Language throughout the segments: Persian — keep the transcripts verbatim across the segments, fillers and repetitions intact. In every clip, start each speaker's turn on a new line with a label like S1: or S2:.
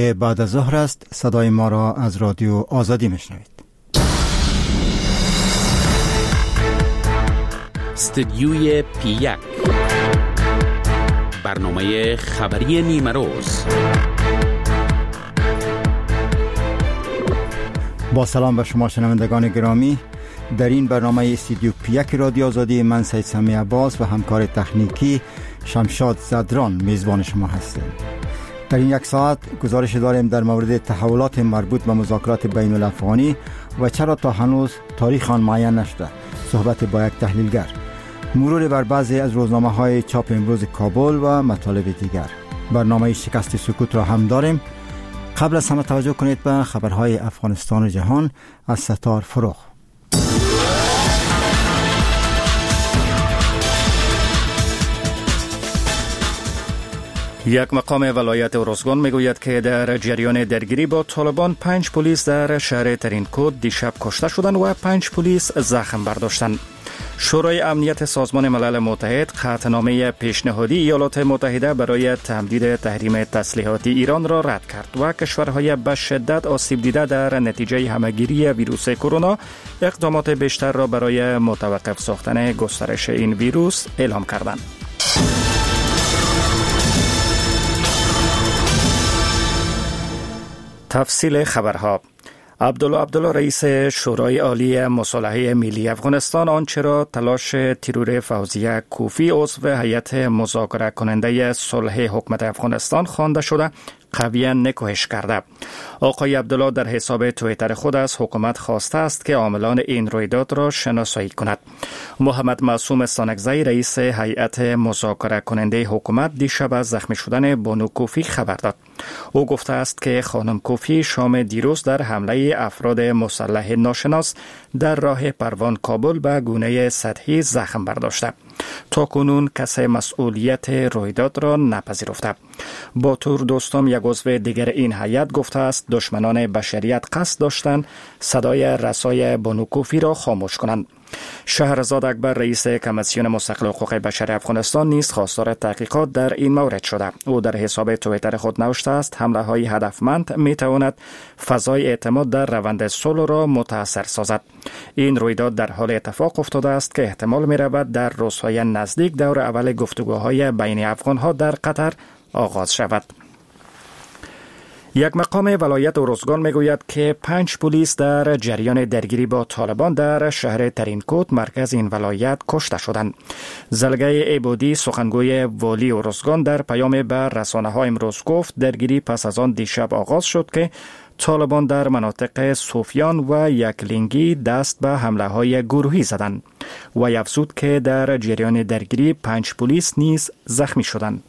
S1: بعد از ظهر است. صدای ما را از رادیو آزادی میشنوید.
S2: استودیوی پی یک، برنامه خبری نیمه روز.
S1: با سلام به شما شنوندگان گرامی. در این برنامه استودیو پی یک رادیو آزادی، من سید سمیع عباس و همکار تکنیکی شمشاد زدران میزبان شما هستیم. در این یک ساعت گزارش داریم در مورد تحولات مربوط به مذاکرات بین الافغانی و چرا تا هنوز تاریخ آن معین نشده، صحبت با یک تحلیلگر، مرور بر بعضی از روزنامه‌های چاپ امروز کابل و مطالب دیگر. برنامه شکست سکوت را هم داریم. قبل از همه توجه کنید به خبرهای افغانستان و جهان از ستار فروغ.
S3: یک مقام ولایت ارزگان میگوید که در جریان درگیری با طالبان پنج پلیس در شهر ترینکوت دیشب کشته شدند و پنج پلیس زخم برداشتند. شورای امنیت سازمان ملل متحد قطعنامه پیشنهادی ایالات متحده برای تمدید تحریم تسلیحاتی ایران را رد کرد و کشورهای به شدت آسیب دیده در نتیجه همه‌گیری ویروس کرونا اقدامات بیشتر را برای متوقف ساختن گسترش این ویروس اعلام کردند. تفصیل خبرها. عبدالله عبدالله رئیس شورای عالی مصالحه ملی افغانستان آنچه را تلاش ترور فوزیه کوفی عضو هیئت مذاکره کننده صلح حکومت افغانستان خوانده شده قویا نکوهش کرده. آقای عبدالله در حساب توییتر خود از حکومت خواسته است که عاملان این رویداد را شناسایی کند. محمد معصوم ستانکزی رئیس هیئت مذاکره کننده حکومت دیشب از زخمی شدن بانو کوفی خبر داد. او گفته است که خانم کوفی شام دیروز در حمله افراد مسلح ناشناس در راه پروان کابل به گونه سطحی زخم برداشته. تا کنون کسی مسئولیت رویداد را نپذیرفته. باتور دوستم یک عضو دیگر این هیئت گفته است دشمنان بشریت قصد داشتند صدای رسای بانو کوفی را خاموش کنند. شهرزاد اکبر رئیس کمیسیون مستقل حقوق بشر افغانستان نیز خواستار تحقیقات در این مورد شده. او در حساب توییتر خود نوشته است حمله های هدفمند می تواند فضای اعتماد در روند صلح را متاثر سازد. این رویداد در حال اتفاق افتاده است که احتمال می رود در روزهای نزدیک دور اول گفتگوهای بین افغانها در قطر آغاز شود. یک مقام ولایت ارزگان میگوید که پنج پلیس در جریان درگیری با طالبان در شهر ترینکوت مرکز این ولایت کشته شدند. زلگه عبادی سخنگوی والی ارزگان در پیام به رسانه‌ها امروز گفت درگیری پس از آن دیشب آغاز شد که طالبان در مناطق صوفیان و یکلینگی دست به حمله های گروهی زدند و افزود که در جریان درگیری پنج پلیس نیز زخمی شدند.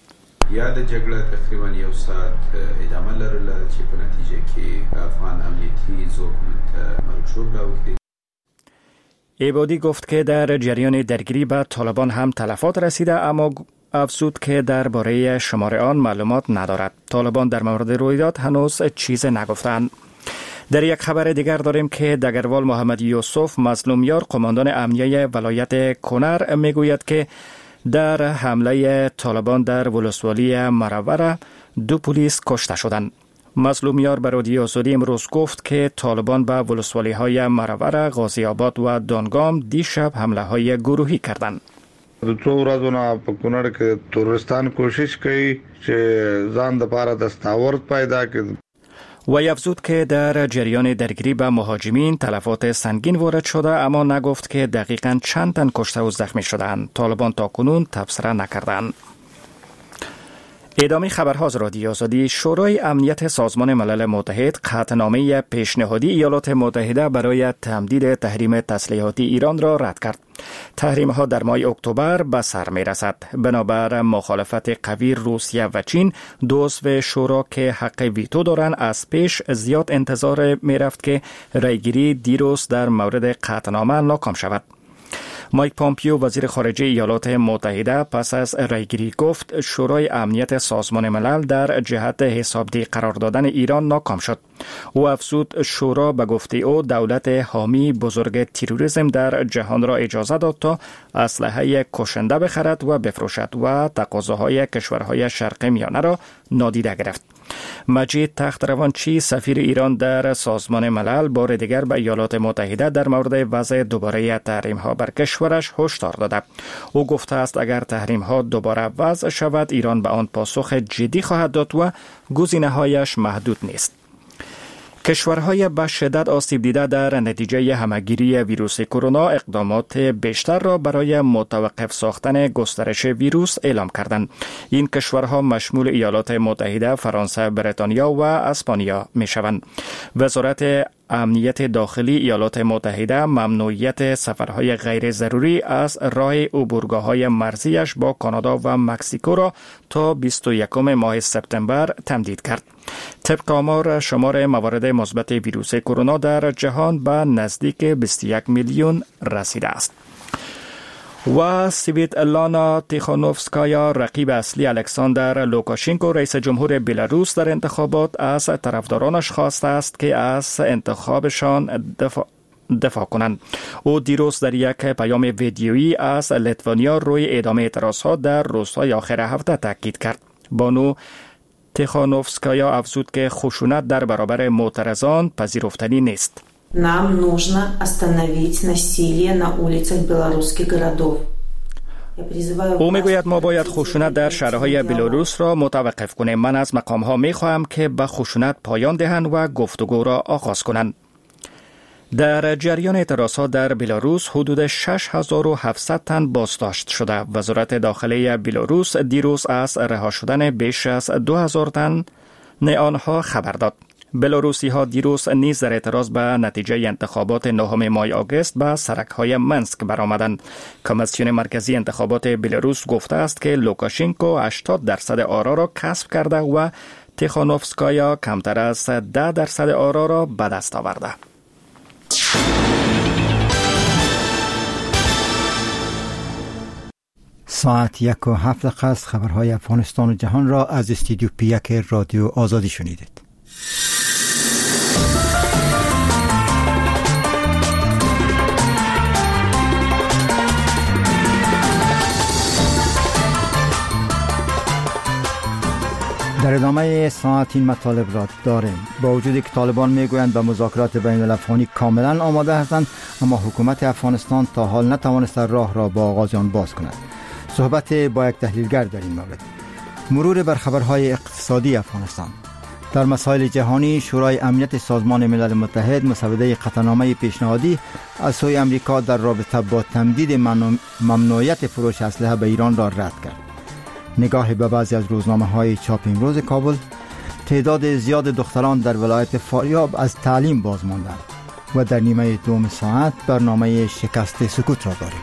S4: یاده جګړه تقریبا یو ساعت ادامه لرله چې په نتیجه کې افغان امنیتي ځواکونو ته مرګ ژوبله اوښتې.
S3: عبادی گفت که در جریان درگیری به طالبان هم تلفات رسیده، اما افزود که درباره شمار آن معلومات ندارد. طالبان در مورد رویداد هنوز چیز نگفتند. در یک خبر دیگر داریم که دگروال محمد یوسف مظلومیار قماندان امنیه ولایت کنر میگوید که در حمله طالبان در ولسوالی مروره دو پلیس کشته شدند. مظلومیار به رادیو آزادی امروز گفت که طالبان به ولسوالی های مروره، غازی آباد و دانگام دیشب حمله های گروهی کردند.
S5: د څو ورځو نه په کونړ کې تروریستان کوشش کوي چې ځان دپاره دستاورد پیدا کړي.
S3: و افزود که در جریان درگیری با مهاجمین تلفات سنگین وارد شده، اما نگفت که دقیقاً چند تن کشته و زخمی شدند. طالبان تا کنون تبصره نکردند. ادامه خبرها از رادیو آزادی. شورای امنیت سازمان ملل متحد قطعنامه پیشنهادی ایالات متحده برای تمدید تحریم تسلیحاتی ایران را رد کرد. تحریم ها در ماه اکتبر به سر می رسد. بنابر مخالفت قوی روسیه و چین، دو عضو شورا که حق ویتو دارند از پیش زیاد انتظار می رفت که رأیگیری دیروز در مورد قطعنامه ناکام شود. مایک پامپیو وزیر خارجه ایالات متحده پس از رأیگیری گفت شورای امنیت سازمان ملل در جهت حسابدهی قرار دادن ایران ناکام شد. او افزود شورا به گفته او دولت حامی بزرگ تروریسم در جهان را اجازه داد تا اسلحه کشنده بخرد و بفروشد و تقاضاهای کشورهای شرق میانه را نادیده گرفت. مجید تخت روانچی سفیر ایران در سازمان ملل بار دیگر به ایالات متحده در مورد وضع دوباره تحریم ها بر کشورش هشدار داده. او گفته است اگر تحریم ها دوباره وضع شود ایران به آن پاسخ جدی خواهد داد و گزینه هایش محدود نیست. کشورهای به شدت آسیب دیده در نتیجه همه‌گیری ویروس کرونا اقدامات بیشتر را برای متوقف ساختن گسترش ویروس اعلام کردند. این کشورها مشمول ایالات متحده، فرانسه، بریتانیا و اسپانیا می‌شوند. وزارت امنیت داخلی ایالات متحده ممنوعیت سفرهای غیر ضروری از راه عبورگاه‌های مرزیش با کانادا و مکزیکو را تا بیست و یکم ماه سپتامبر تمدید کرد. طبق آمار شمار موارد مثبت ویروس کرونا در جهان به نزدیک بیست و یک میلیون رسیده است. و سویتلانا تیخانوفسکایا رقیب اصلی الکساندر لوکاشینکو رئیس جمهور بلاروس در انتخابات از طرفدارانش خواسته است که از انتخابشان دفاع دفاع کنند. او دیروز در یک پیام ویدیویی از لیتوانیا روی ادامه اعتراضها در روزهای آخر هفته تاکید کرد. بانو تیخانوفسکایا افزود که خشونت در برابر معترضان پذیرفتنی نیست.
S6: Нам нужно остановить насилие на улицах белорусских городов.
S3: او میگوید ما باید خشونت در شهرهای بلاروس را متوقف کنیم. من از مقامها میخواهم که به خشونت پایان دهند و گفتگو را آغاز کنند. در جریان اعتراضها در بلاروس حدود شش هزار و هفتصد تن بازداشت شده. وزارت داخله بلاروس دیروز از رها شدن بیش از دو هزار تن آنها خبر داد. بلاروسی ها دیروز نیز در اعتراض به نتیجه انتخابات نهم ماه آگوست به سرک های منسک برآمدند. کمیسیون مرکزی انتخابات بلاروس گفته است که لوکاشینکو هشتاد درصد آرا را کسب کرده و تیخانوفسکایا کمتر از ده درصد آرا را به دست آورده.
S1: ساعت یک و هفت دقیقه است. خبرهای افغانستان و جهان را از استودیو پی یک رادیو آزادی شنیدید. در ادامه ساعت این مطالب را داریم. با وجودی که طالبان میگویند به مذاکرات بین الافغانی کاملا آماده هستند، اما حکومت افغانستان تا حال نتوانسته راه را با آغاز آن باز کند. صحبت با یک تحلیلگر در این مورد. مرور بر خبرهای اقتصادی افغانستان. در مسائل جهانی، شورای امنیت سازمان ملل متحد مسوده قطعنامه پیشنهادی از سوی امریکا در رابطه با تمدید ممنوعیت فروش اسلحه به ایران را رد کرد. نگاه به بعضی از روزنامه‌های چاپ امروز کابل، تعداد زیاد دختران در ولایت فاریاب از تعلیم باز ماندند و در نیمه دوم ساعت برنامه شکست سکوت را داریم.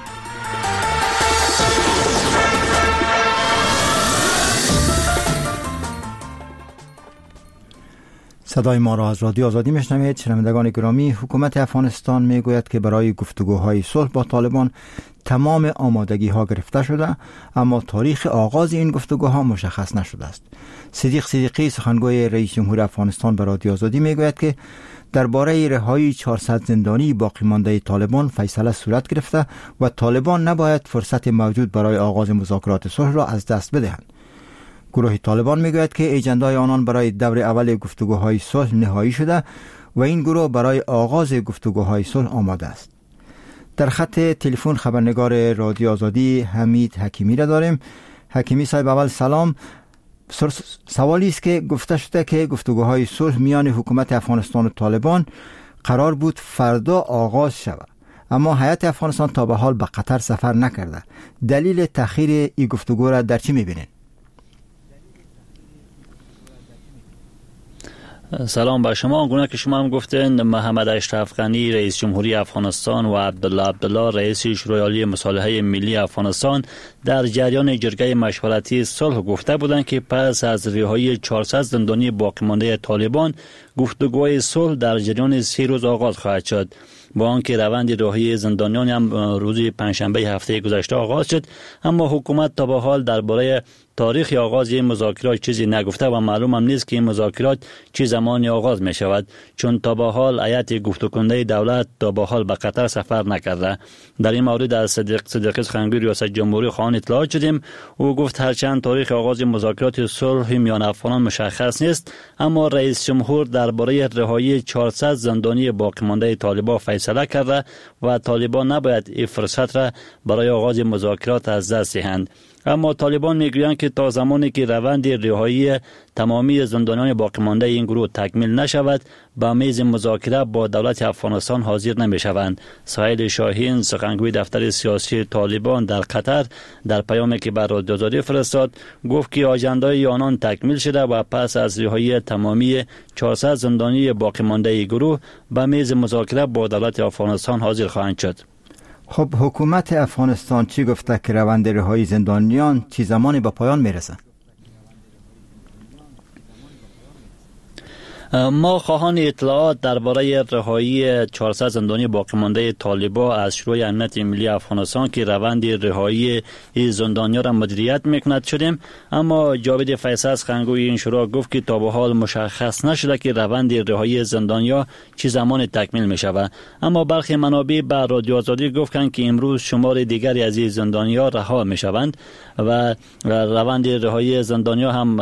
S1: صدای ما را از رادیو آزادی میشنوید. شنوندگان گرامی، حکومت افغانستان میگوید که برای گفتگوهای صلح با طالبان تمام آمادگی ها گرفته شده، اما تاریخ آغاز این گفتگوها مشخص نشده است. صدیق صدیقی سخنگوی رئیس جمهور افغانستان به رادیو آزادی میگوید که درباره رهایی چهارصد زندانی باقی مانده طالبان فیصله صورت گرفته و طالبان نباید فرصت موجود برای آغاز مذاکرات صلح را از دست بدهند. گروه طالبان میگوید که ایجندای آنان برای دور اول گفتگوهای صلح نهایی شده و این گروه برای آغاز گفتگوهای صلح آماده است. در خط تلفن خبرنگار رادیو آزادی حمید حکیمی را داریم. حکیمی صاحب، اول سلام. سوالی است که گفته شده که گفتگوهای صلح میان حکومت افغانستان و طالبان قرار بود فردا آغاز شود، اما هیئت افغانستان تا به حال به قطر سفر نکرده. دلیل تأخیر این گفتگو را در چی می‌بینید؟
S7: سلام بر شما. آنگونه که شما هم گفتین، محمد اشرف غنی رئیس جمهوری افغانستان و عبدالله عبدالله رئیس شورای عالی مصالحه ملی افغانستان در جریان جرگه مشورتی صلح گفته بودند که پس از رهایی چهارصد زندانی باقی مانده طالبان، گفتگوهای صلح در جریان سه روز آغاز خواهد شد. با آنکه روند رهایی زندانیان هم روز پنجشنبه هفته گذشته آغاز شد، اما حکومت تا به حال درباره تاریخ آغاز این مذاکرات چیزی نگفته و معلوم هم نیست که این مذاکرات چه زمانی آغاز می شود، چون تا به حال هیئت گفتگوکننده دولت تا به حال به قطر سفر نکرده. در این مورد از صدیق صدیقی سخنگوی ریاست جمهوری خواهان اطلاع شدیم. او گفت هرچند تاریخ آغاز مذاکرات صلح میان افغانان مشخص نیست، اما رئیس جمهور درباره رهایی چهارصد زندانی باقی مانده طالبان فیصله کرده و طالبان نباید این فرصت را برای آغاز مذاکرات از دست دهند. اما طالبان میگویند که تا زمانی که روند رهایی تمامی زندانیان باقی مانده این گروه تکمیل نشود، به میز مذاکره با دولت افغانستان حاضر نمیشوند. سهیل شاهین، سخنگوی دفتر سیاسی طالبان در قطر، در پیامی که بر رادیو آزادی فرستاد گفت که آجندای آنان تکمیل شده و پس از رهایی تمامی چهارصد زندانی باقی مانده گروه به میز مذاکره با دولت افغانستان حاضر خواهند شد.
S1: خب حکومت افغانستان چی گفته که روند رهایی زندانیان چه زمانی به پایان میرسه؟
S7: ما خواهان اطلاعات درباره رهایی چهارصد زندانی باقی مانده طالبان از شورای امنیت ملی افغانستان که روند رهایی این زندانیان را مدیریت میکند شدیم، اما جاوید فیصل سخنگوی این شورا گفت که تا به حال مشخص نشده که روند رهایی زندانیا چه زمان تکمیل میشود. اما برخی منابع به رادیو آزادی گفتند که امروز شمار دیگری از این زندانیا رها میشوند و روند رهایی زندانیا هم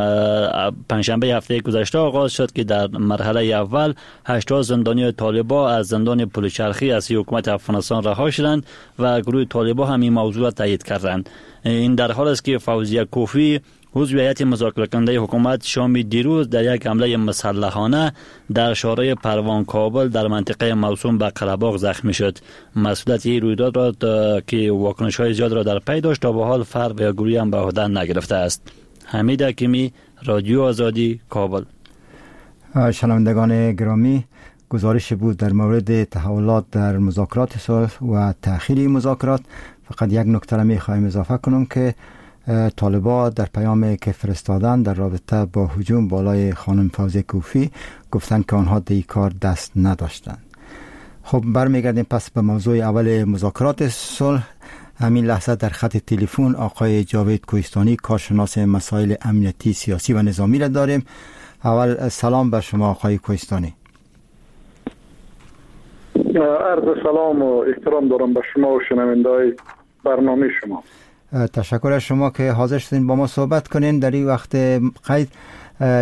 S7: پنجشنبه هفته گذشته آغاز شد که در مرحله اول هشتاد زندانی طالبان از زندان پلچرخی از حکومت افغانستان رها شدند و گروه طالبان هم این موضوع را تایید کردند. این در حال است که فوزیه کوفی، عضو هیئت مذاکره کننده حکومت، شام دیروز در یک حمله مسلحانه در شهرهای پروان کابل در منطقه موسوم به قره‌باغ زخمی شد. مسئولیت این رویداد را که واکنش‌های زیاد را در پی داشت تا به حال فرد یا گروهی هم به عهده نگرفته است. حمید حکیمی، رادیو آزادی، کابل.
S1: شنوندگان گرامی، گزارش بود در مورد تحولات در مذاکرات صلح و تأخیر مذاکرات. فقط یک نکته را می‌خوایم اضافه کنم که طالبان در پیامی که فرستادن در رابطه با هجوم بالای خانم فوزیه کوفی گفتند که آنها در کار دست نداشتند. خب برمیگردیم پس به موضوع اول مذاکرات صلح. همین لحظه در خط تلفن آقای جاوید کوهستانی، کارشناس مسائل امنیتی، سیاسی و نظامی را داریم. اول سلام بر شما آقای کوهستانی.
S8: عرض سلام و احترام دارم به شما و شنونده‌های برنامه شما.
S1: تشکر از شما که حاضر شدین با ما صحبت کنین در این وقت قید.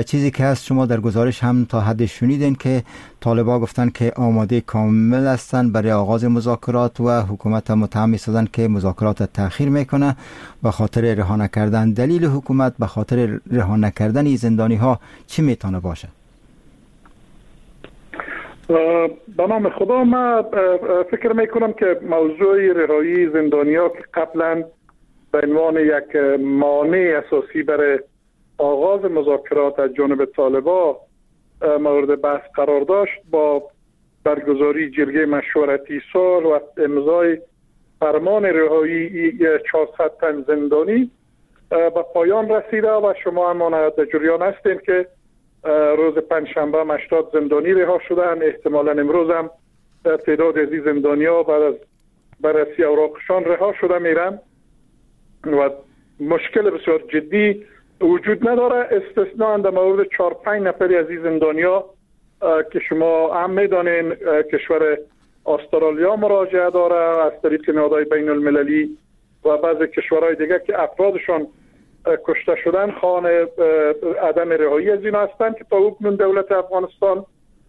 S1: چیزی که هست شما در گزارش هم تا حد شنیدین که طالبا گفتن که آماده کامل هستند برای آغاز مذاکرات و حکومت هم متهم می‌سازند که مذاکرات تأخیر میکنه به خاطر رها نکردن. دلیل حکومت به خاطر رها نکردن این زندانی ها چی میتونه باشه؟
S8: به نام خدا، من فکر میکنم که موضوع رهایی زندانی ها که قبلا به عنوان یک مانع اساسی برای آغاز مذاکرات از جانب طالبان مورد بحث قرار داشت، با برگزاری جرگه مشورتی صلح و امضای فرمان رهایی چهارصد تن زندانی به پایان رسیده و شما هم در جریان هستین که روز پنجشنبه هشتاد زندانی رها شدن. احتمالاً امروز هم تعداد از این زندانی‌ها بعد از بررسی اوراقشان رها شده میرن و مشکل بسیار جدی وجود نداره، استثناء در مورد چهار پنج نفری از این زندانیا که شما هم میدانین کشور استرالیا مراجعه داره از طریق نهادهای بین المللی و بعض کشورهای دیگه که افرادشان کشته شدن، خواهان عدم رهایی از اینا هستند که تا اکنون دولت افغانستان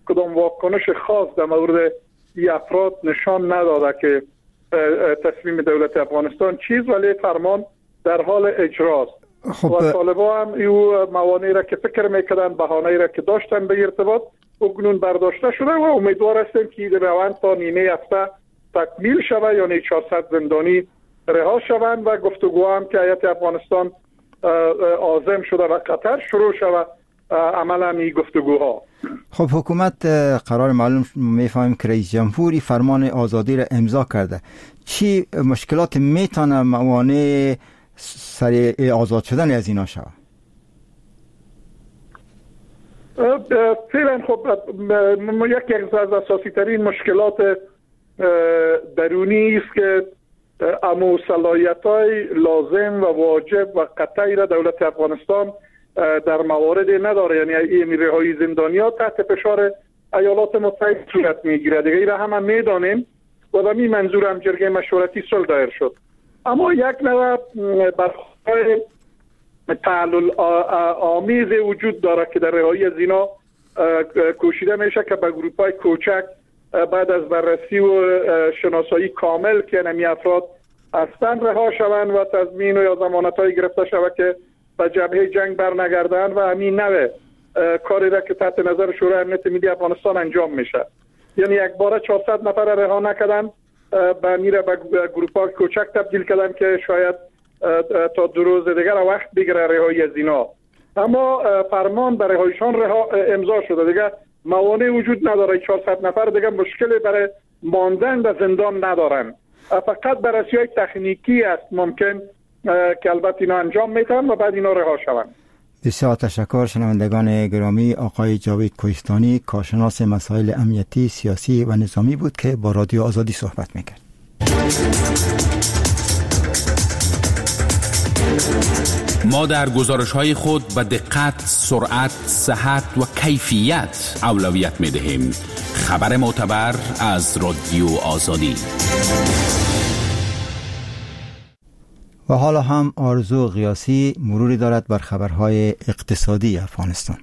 S8: کدام واکنش خاص در مورد این افراد نشان نداده که تصمیم دولت افغانستان چیز، ولی فرمان در حال اجراست. خب و طالبان هم ایو موانعی را که فکر میکردن، بهانه‌ای را که داشتن به ارتباط اکنون برداشته شده و امیدوار هستیم که این روند تا نیمه هفته تکمیل شود، یعنی چهارصد زندانی رها شوند و گفتگو هم که هیئت افغانستان عازم شده و قطر شروع شود عملا این گفتگوها.
S1: خب حکومت قرار معلوم میفهمیم که رئیس جمهوری فرمان آزادی را امضا کرده. چی مشکلات میتونه موانع سر آزاد شدن از اینا شود؟
S8: فعلا خب یکی از اساسی ترین مشکلات درونی است که امو صلاحیت های لازم و واجب و قطعی را دولت افغانستان در موارد نداره، یعنی این رهایی زندانی‌ها تحت فشار ایالات متحده صورت میگیره دیگه، این را هم میدانیم و به این منظور هم جرگه مشورتی صلح دایر شد. اما یک نوع برخورد تعلل آمیز وجود داره که در رهایی از اینا کوشیده میشه که به گروپ های کوچک بعد از بررسی و شناسایی کامل که نمی افراد هستند رها شوند و تضمین و یا ضمانت های گرفته شود که به جبهه جنگ برنگردند و همین نوع کاری را که تحت نظر شورای امنیت ملی افغانستان انجام میشه. یعنی یک باره چهارصد نفر رها نکردن، به میره به گروپ های کوچک تبدیل کردن که شاید تا دو روز دیگر وقت بگیره رهایی از اینا. اما فرمان برای رهایشان رها امضا شده، دیگه موانع وجود نداره. چهارصد نفر دیگه مشکل برای ماندن در زندان ندارن، فقط بررسی های تکنیکی است ممکن که البته اینا انجام میتن و بعد اینا رها شوند.
S1: بسیار تشکر شنوندگان گرامی. آقای جاوید کوهستانی، کارشناس مسائل امنیتی، سیاسی و نظامی بود که با رادیو آزادی صحبت میکرد.
S2: ما در گزارش‌های خود به دقت، سرعت، صحت و کیفیت اولویت می‌دهیم. خبر معتبر از رادیو آزادی.
S1: و حالا هم آرزو غیاثی مروری دارد بر خبرهای اقتصادی افغانستان.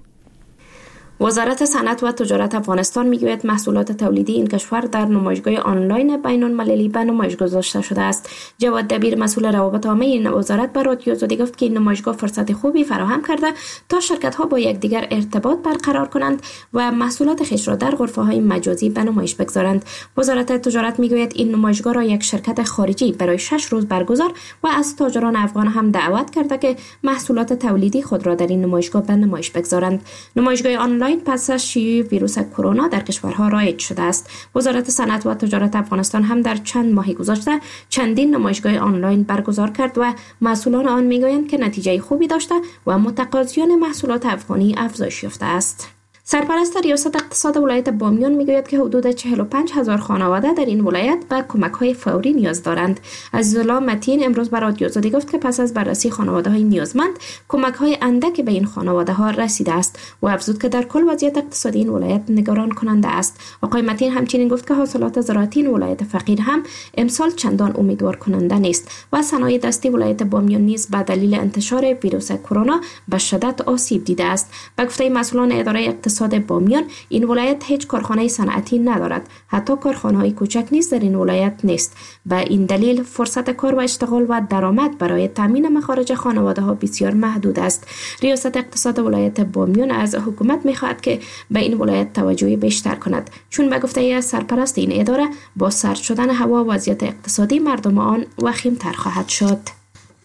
S9: وزارت صنعت و تجارت افغانستان میگوید محصولات تولیدی این کشور در نمایشگاه آنلاین بین المللی به نمایش گذاشته شده است. جواد دبیر، مسئول روابط عامه این وزارت، به رادیو آزادی گفت که این نمایشگاه فرصت خوبی فراهم کرده تا شرکت ها با یکدیگر ارتباط برقرار کنند و محصولات خویش را در غرفه های مجازی به نمایش بگذارند. وزارت تجارت میگوید این نمایشگاه را یک شرکت خارجی برای شش روز برگزار و از تاجران افغان هم دعوت کرده که محصولات تولیدی خود را در این نمایشگاه به نمایش بگذارند. نمایشگاه آنلاین پس از شیوع ویروس کرونا در کشورها رایج شده است. وزارت صنعت و تجارت افغانستان هم در چند ماه گذشته چندین نمایشگاه آنلاین برگزار کرد و مسئولان آن میگویند که نتیجه خوبی داشته و متقاضیان محصولات افغانی افزایش یافته است. سرپرست ریاست اقتصاد ولایت بامیان میگوید که حدود چهل و پنج هزار خانواده در این ولایت به کمک‌های فوری نیاز دارند. عزیزالله متین امروز به رادیو آزادی گفت که پس از بررسی خانواده‌های نیازمند، کمک‌های اندک به این خانواده‌ها رسیده است و افزود که در کل وضعیت اقتصادی این ولایت نگران کننده است. آقای متین همچنین گفت که حاصلات زراعتی این ولایت فقیر هم امسال چندان امیدوار کننده نیست و صنایع دستی ولایت بامیان نیز به دلیل انتشار ویروس کرونا به شدت آسیب دیده است. به گفته مسئولان اداره اقتصاد بامیان، این ولایت هیچ کارخانه صنعتی ندارد، حتی کارخانه‌های کوچک نیز در این ولایت نیست. به این دلیل فرصت کار و اشتغال و درآمد برای تامین مخارج خانواده‌ها بسیار محدود است. ریاست اقتصاد ولایت بامیان از حکومت می‌خواهد که به این ولایت توجه بیشتر کند، چون به گفته سرپرست این اداره با سرد شدن هوا وضعیت اقتصادی مردم آن وخیم‌تر خواهد شد.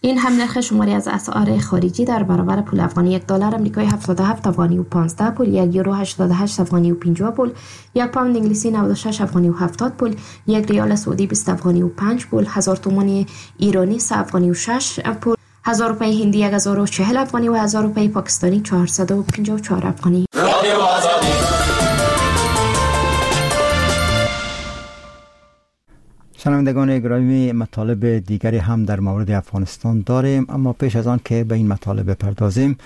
S9: این هم نرخ شماری از اسعار خارجی در برابر پول افغانی: یک دلار آمریکایی هفتاد و هفت افغانی و پانزده پول، یک یورو هشتاد و هشت افغانی و پنجاه پول، یک پوند انگلیسی نود و شش افغانی و هفتاد پول، یک ریال سعودی بیست افغانی و پنج پول، هزار تومان ایرانی سه افغانی و شش پول، هزار روپیه هندی یک هزار و چهل افغانی و هزار روپیه پاکستانی چهارصد و پنجاه و چهار افغانی.
S1: شنوندگان گرامی، مطالب دیگری هم در مورد افغانستان داریم، اما پیش از آن که به این مطالب بپردازیم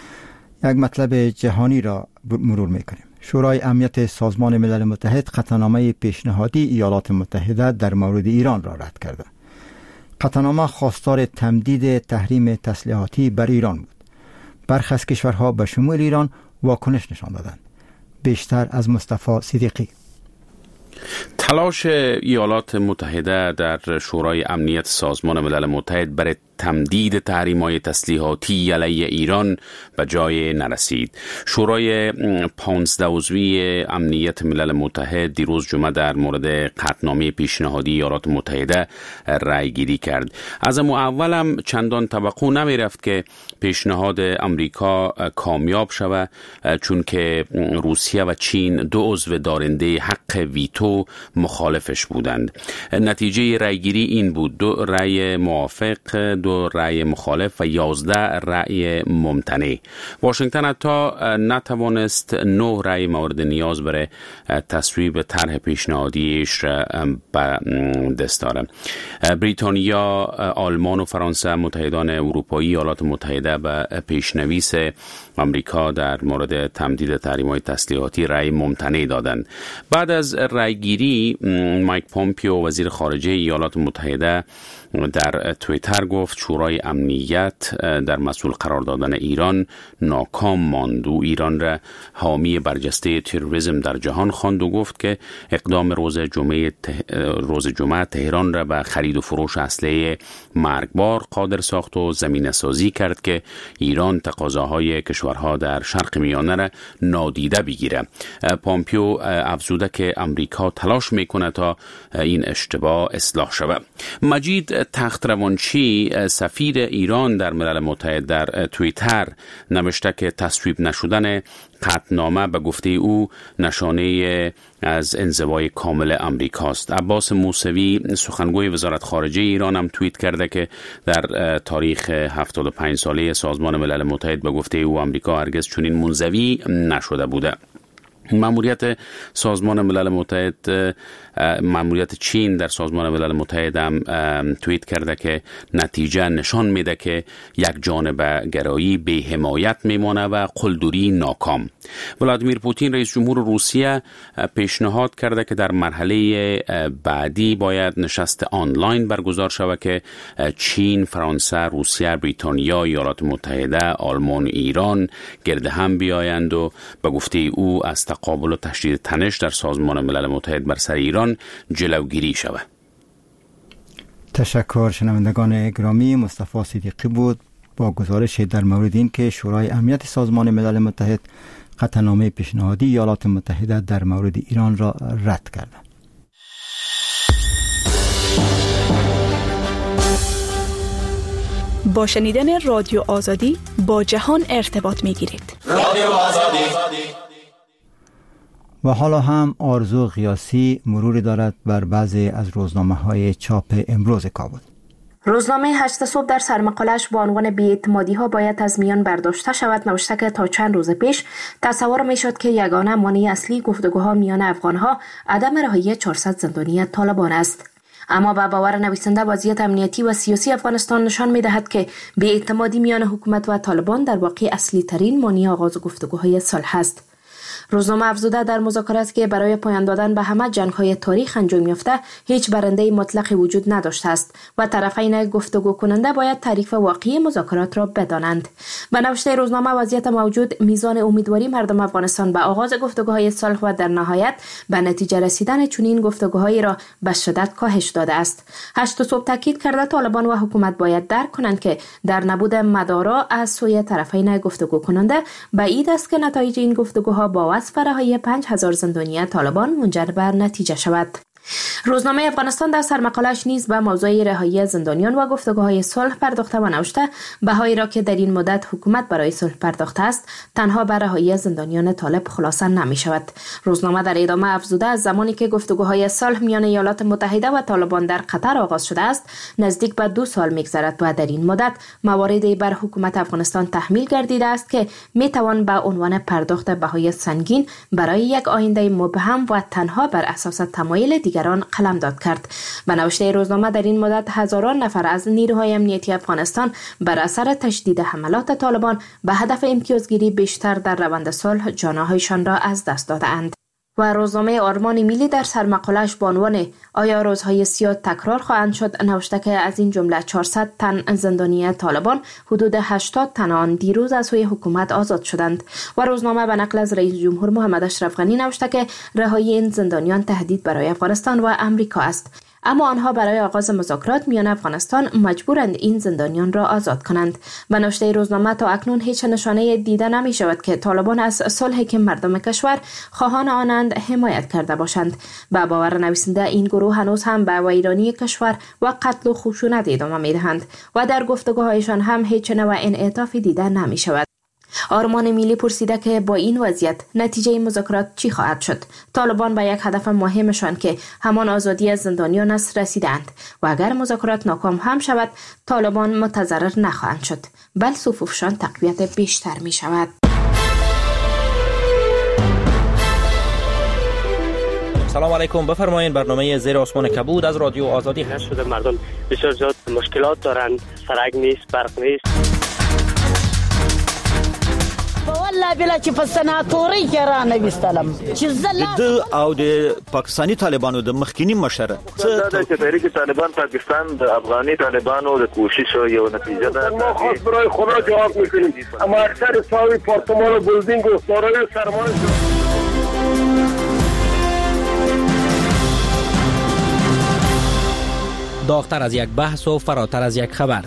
S1: یک مطلب جهانی را مرور میکنیم. شورای امنیت سازمان ملل متحد قطعنامه پیشنهادی ایالات متحده در مورد ایران را رد کرده. قطعنامه خواستار تمدید تحریم تسلیحاتی بر ایران بود. برخی از کشورها به شمول ایران واکنش نشان دادند. بیشتر از مصطفی صدیقی.
S2: تلاش ایالات متحده در شورای امنیت سازمان ملل متحد برای تمدید تحریم‌های تسلیحاتی علیه ایران به جای نرسید. شورای پانزده عضوی امنیت ملل متحد دیروز جمعه در مورد قطعنامه پیشنهادی ایالات متحده رأی گیری کرد. از اولم چندان توقع نمی رفت که پیشنهاد امریکا کامیاب شود، چون که روسیه و چین دو عضو دارنده حق ویتو مخالفش بودند. نتیجه رأی گیری این بود: دو رأی موافق، دو دو رأی مخالف و یازده رأی ممتنع. واشنگتن حتی نتوانست نه رأی مورد نیاز برای تصویب طرح پیشنهادیش را به دست آورد. بریتانیا، آلمان و فرانسه متحدان اروپایی ایالات متحده به پیشنویس آمریکا در مورد تمدید تحریم‌های تسلیحاتی رأی ممتنع دادند. بعد از رأیگیری مایک پومپیو وزیر خارجه ایالات متحده در توییتر گفت شورای امنیت در مسئول قرار دادن ایران ناکام ماند و ایران را حامی برجسته تروریسم در جهان خواند و گفت که اقدام روز جمعه روز جمعه تهران را به خرید و فروش اسلحه مرگبار قادر ساخت و زمینه سازی کرد که ایران تقاضاهای کشورها در شرق میانه را نادیده بگیره. پامپیو افزوده که امریکا تلاش میکنه تا این اشتباه اصلاح شود. مجید تخت روانچی سفیر ایران در ملل متحد در توییتر نوشته که تصویب نشدن قطعنامه به گفته او نشانه از انزوای کامل امریکاست. عباس موسوی سخنگوی وزارت خارجه ایران هم توییت کرده که در تاریخ هفتاد و پنج ساله سازمان ملل متحد به گفته او امریکا هرگز چنین منزوی نشده بوده. ماموریت سازمان ملل متحد ماموریت چین در سازمان ملل متحد هم توییت کرده که نتیجه نشان میده که یک جانب گرایی بی حمایت میمانه و قلدری ناکام. ولادیمیر پوتین رئیس جمهور روسیه پیشنهاد کرده که در مرحله بعدی باید نشست آنلاین برگزار شود که چین، فرانسه، روسیه، بریتانیا، ایالات متحده، آلمان، ایران گرد هم بیایند و به گفته او از تقابل و تشدید تنش در سازمان ملل متحد بر سر ایران جلوگیری شود.
S1: تشکر شنوندگان گرامی. مصطفی صدیقی بود با گزارش در مورد این که شورای امنیت سازمان ملل متحد قطعنامه پیشنهادی ایالات متحده در مورد ایران را رد کرد.
S10: با شنیدن رادیو آزادی با جهان ارتباط میگیرید.
S11: رادیو آزادی.
S1: و حالا هم آرزو غیاثی مروری دارد بر بعضی از روزنامه‌های چاپ امروز کابل.
S9: روزنامه هشت صبح در سرمقالش با عنوان بی‌اعتمادی ها باید از میان برداشته شود نوشته که تا چند روز پیش تصور میشد که یگانه مانع اصلی گفتگوها میان افغانها عدم رهایی چهارصد زندانی طالبان است. اما به باور نویسنده وضعیت امنیتی و سیاسی افغانستان نشان می‌دهد که بی‌اعتمادی میان حکومت و طالبان در واقع اصلی ترین مانع آغاز گفتگوهای صلح است. روزنامه افزوده در مذاکرات که برای پایان دادن به همه جنگ‌های تاریخ انجام یافته هیچ برنده مطلق وجود نداشته است و طرفین گفتگو کننده باید تعریف واقعی مذاکرات را بدانند. به نوشته روزنامه وضعیت موجود میزان امیدواری مردم افغانستان به آغاز گفتگوهای صلح و در نهایت به نتیجه رسیدن چنین گفتگوهایی را به شدت کاهش داده است. هشت صبح تاکید کرده طالبان و حکومت باید درک کنند که در نبود مدارا از سوی طرفین گفتگو کننده بعید است که نتایج این گفتگوها با وصف رهایی پنج هزار زندانی طالبان منجر به نتیجه شود. روزنامه افغانستان در سرمقالش نیز به موضوع رهایی زندانیان و گفتگوهای صلح پرداخته و نوشته بهایی را که در این مدت حکومت برای صلح پرداخته است تنها به رهایی زندانیان طالب خلاصه نمی شود. روزنامه در ادامه افزوده از زمانی که گفتگوهای صلح میان ایالات متحده و طالبان در قطر آغاز شده است نزدیک به دو سال میگذرد و در این مدت مواردی بر حکومت افغانستان تحمیل گردیده است که می توان به عنوان پرداخت بهای سنگین برای یک آینده مبهم و تنها بر اساس تمایل دیگران قلمداد کرد. به نوشته روزنامه در این مدت هزاران نفر از نیروهای امنیتی افغانستان بر اثر تشدید حملات طالبان به هدف امتیازگیری بیشتر در روند صلح جانهایشان را از دست داده‌اند. و روزنامه آرمان ملی در سرمقاله‌اش با عنوان آیا روزهای سیاه تکرار خواهند شد نوشته که از این جمله چهارصد تن زندانی طالبان حدود هشتاد تن آن دیروز از سوی حکومت آزاد شدند. و روزنامه به نقل از رئیس جمهور محمد اشرف غنی نوشته که رهایی این زندانیان تهدید برای افغانستان و امریکا است، اما آنها برای آغاز مذاکرات میان افغانستان مجبورند این زندانیان را آزاد کنند. به نوشته روزنامه تا اکنون هیچ نشانه دیده نمی شود که طالبان از صلحی که مردم کشور خواهان آنند حمایت کرده باشند. به باور نویسنده این گروه هنوز هم به ویرانی کشور و قتل و خشونت ادامه می دهند و در گفتگوهایشان هم هیچ نوع انعطافی دیده نمی شود. آرمان ملی پرسیده که با این وضعیت نتیجه مذاکرات چی خواهد شد؟ طالبان به یک هدف مهمشان که همان آزادی از زندانیان است رسیدند و اگر مذاکرات ناکام هم شود طالبان متضرر نخواهند شد، بل صفوفشان تقویت بیشتر می شود.
S11: سلام علیکم، بفرمایید برنامه زیر آسمان کبود از رادیو آزادی
S12: هست. شده مردم بسیار زیاد مشکلات دارند، سرک نیست، برق نیست.
S13: والله بلا چې په سناتوري کې را نه وستلم چې زله
S14: د او د پاکستاني طالبانو د مخکینی مشر
S15: څه د تحریک طالبان پاکستان د افغاني طالبانو د کوشش یو نتیجه ده.
S16: ما خاص برای خدا جواب میکنیم، اما اکثر صاحب پارتمان و بلدینگ و دارای سرمایه.
S11: داغتر از یک بحث و فراتر از یک خبر،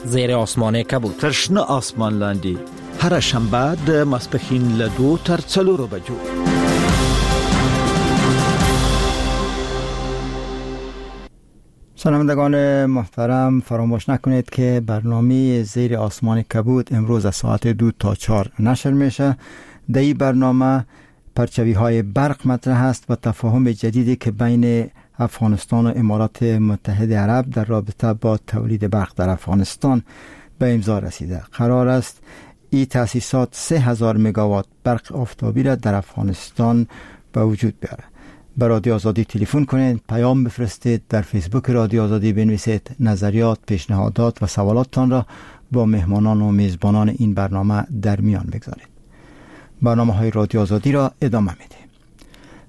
S11: زیر آسمان کبود.
S14: تر شنه آسمان لاندې هره شنبه د ماسپښین له دوو تر څلورو بجو.
S1: شنوندگان محترم، فراموش نکنید که برنامه زیر آسمان کبود امروز از ساعت دو تا چهار نشر میشه. در این برنامه پرچوی های برق مطرح است و تفاهم جدیدی که بین افغانستان و امارات متحده عرب در رابطه با تولید برق در افغانستان به امضا رسیده. قرار است این تأسیسات سه هزار مگاوات برق آفتابی را در افغانستان به وجود بیاره. به رادیو آزادی تلفن کنید، پیام بفرستید، در فیسبوک رادیو آزادی بنویسید، نظریات، پیشنهادات و سوالاتتان را با مهمانان و میزبانان این برنامه در میان بگذارید. برنامه های رادیو آزادی را ادامه میدهیم.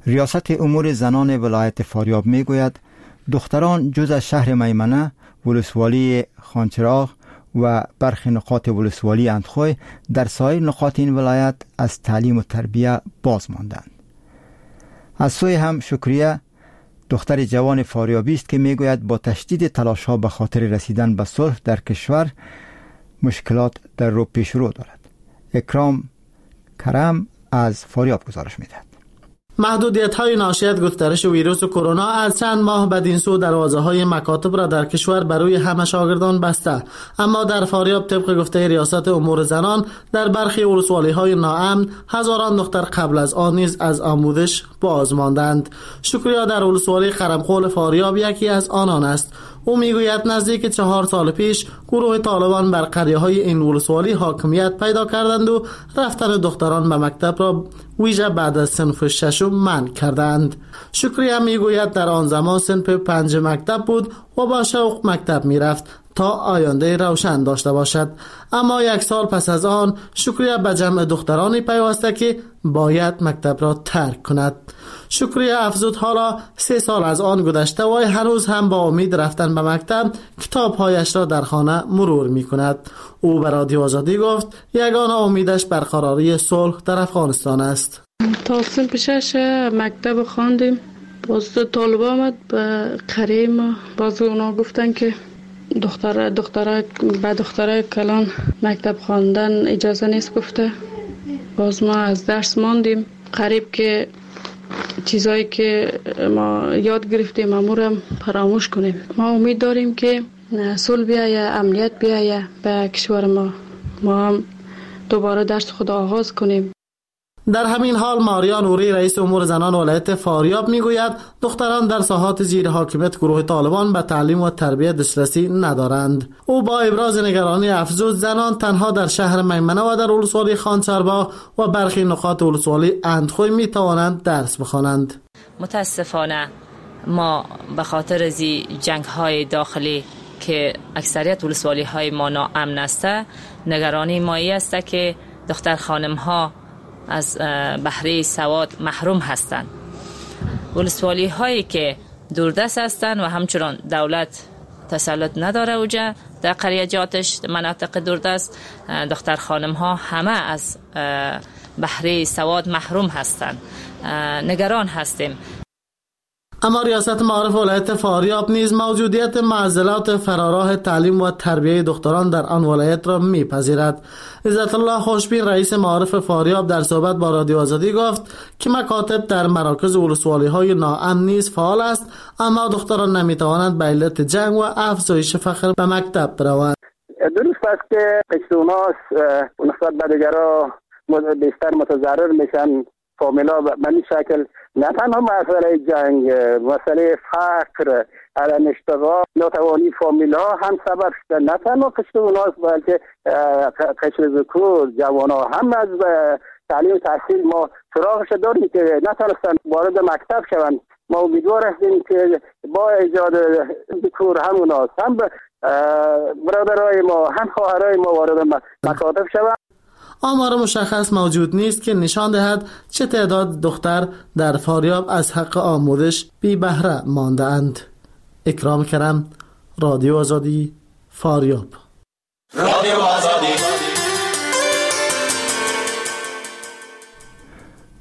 S1: ریاست امور زنان ولایت فاریاب میگوید دختران جز از شهر میمنه، ولسوالی خانچراغ و برخی نقاط ولسوالی اندخوی در سایر نقاط این ولایت از تعلیم و تربیه باز ماندند. از سوی هم شکریه دختر جوان فاریابی است که میگوید با تشدید تلاش‌ها به خاطر رسیدن به صلح در کشور مشکلات در رو پیش رو دارد. اکرام کرم از فاریاب گزارش میدهد.
S17: محدودیت‌های ناشی از گسترش ویروس کرونا از چند ماه بدین سو دروازه‌های مکاتب را در کشور بر روی همه شاگردان بسته، اما در فاریاب طبق گفته ریاست امور زنان در برخی ولسوالی‌های ناامن هزاران دختر قبل از آن نیز از آموزش باز ماندند. شکریا در ولسوالی قرمقول فاریاب یکی از آنان است. او میگوید نزدیک چهار سال پیش گروه طالبان بر قریه‌های این ولسوالی حاکمیت پیدا کردند و رفتن دختران به مکتب را ویژه بعد از صنف ششم منع کردند. شکریه میگوید در آن زمان صنف پنج مکتب بود و با شوق مکتب میرفت تا آینده روشن داشته باشد، اما یک سال پس از آن شکریه به جمع دخترانی پیوسته که باید مکتب را ترک کند. شکریه افزود حالا سه سال از آن گذشته و هنوز هم با امید رفتن به مکتب کتابهایش را در خانه مرور می کند. او به رادیو آزادی گفت یگانه امیدش برقراری صلح در افغانستان است.
S18: تا صنف شش مکتب خواندیم، باز طالب آمد به قریه ما، باز اونا گفتن که دختر دخترای به دخترای کلان مکتب خواندن اجازه نیست گفته. باز ما از درس ماندیم، قریب که چیزایی که ما یاد گرفتیم امورم فراموش کنیم. ما امید داریم که صلح بیایه، امنیت بیایه به کشور ما، ما هم دوباره درس خود آغاز کنیم.
S17: در همین حال ماریا نوری رئیس امور زنان ولایت فاریاب میگوید دختران در ساحات زیر حاکمیت گروه طالبان به تعلیم و تربیت دسترسی ندارند. او با ابراز نگرانی افزود زنان تنها در شهر میمنه و در ولسوالی خانچرباغ و برخی نقاط ولسوالی اندخوی می توانند درس بخوانند.
S19: متاسفانه ما به خاطر از جنگ های داخلی که اکثریت ولسوالی های ما ناامن است، نگرانی ما ای است که دختر خانم ها از بهره سواد محروم هستند. ولسوالی هایی که دوردست هستند و همچنان دولت تسلط نداره اوجه در قریه جاتش مناطق دوردست، دختر خانم ها همه از بهره سواد محروم هستند. نگران هستیم.
S17: اما ریاست معارف ولایت فاریاب نیز موجودیت معضلات فراراه تعلیم و تربیه دختران در آن ولایت را میپذیرد. عزت الله خوشبین رئیس معارف فاریاب در صحبت با رادیو آزادی گفت که مکاتب در مراکز ولسوالی‌های ناامن نیز فعال است، اما دختران نمیتوانند به علت جنگ و افزایش فقر به مکتب بروند.
S16: درست است که پشتوناس نسبت به دیگرا بیشتر متضرر میشن، فامیلا به این شکل نه تنها مسئله جنگ، مسئله فقر، عدم اشتغال، ناتوانی فامیلا هم سبب شده. نه تنها پشتوناس بلکه قشر ذکور، جوان‌ها هم از تعلیم و تحصیل ما سراغش داریم که نتونستن وارد مکتب شوند. ما امیدوار هستیم که با ایجاد ذکور هم اوناست، هم برادرای ما، هم خواهرای ما وارد مکاتب شوند.
S17: آمار مشخص موجود نیست که نشان دهد چه تعداد دختر در فاریاب از حق آموزش بی بهره مانده اند. اکرام کرم، رادیو آزادی، فاریاب.
S20: رادیو آزادی.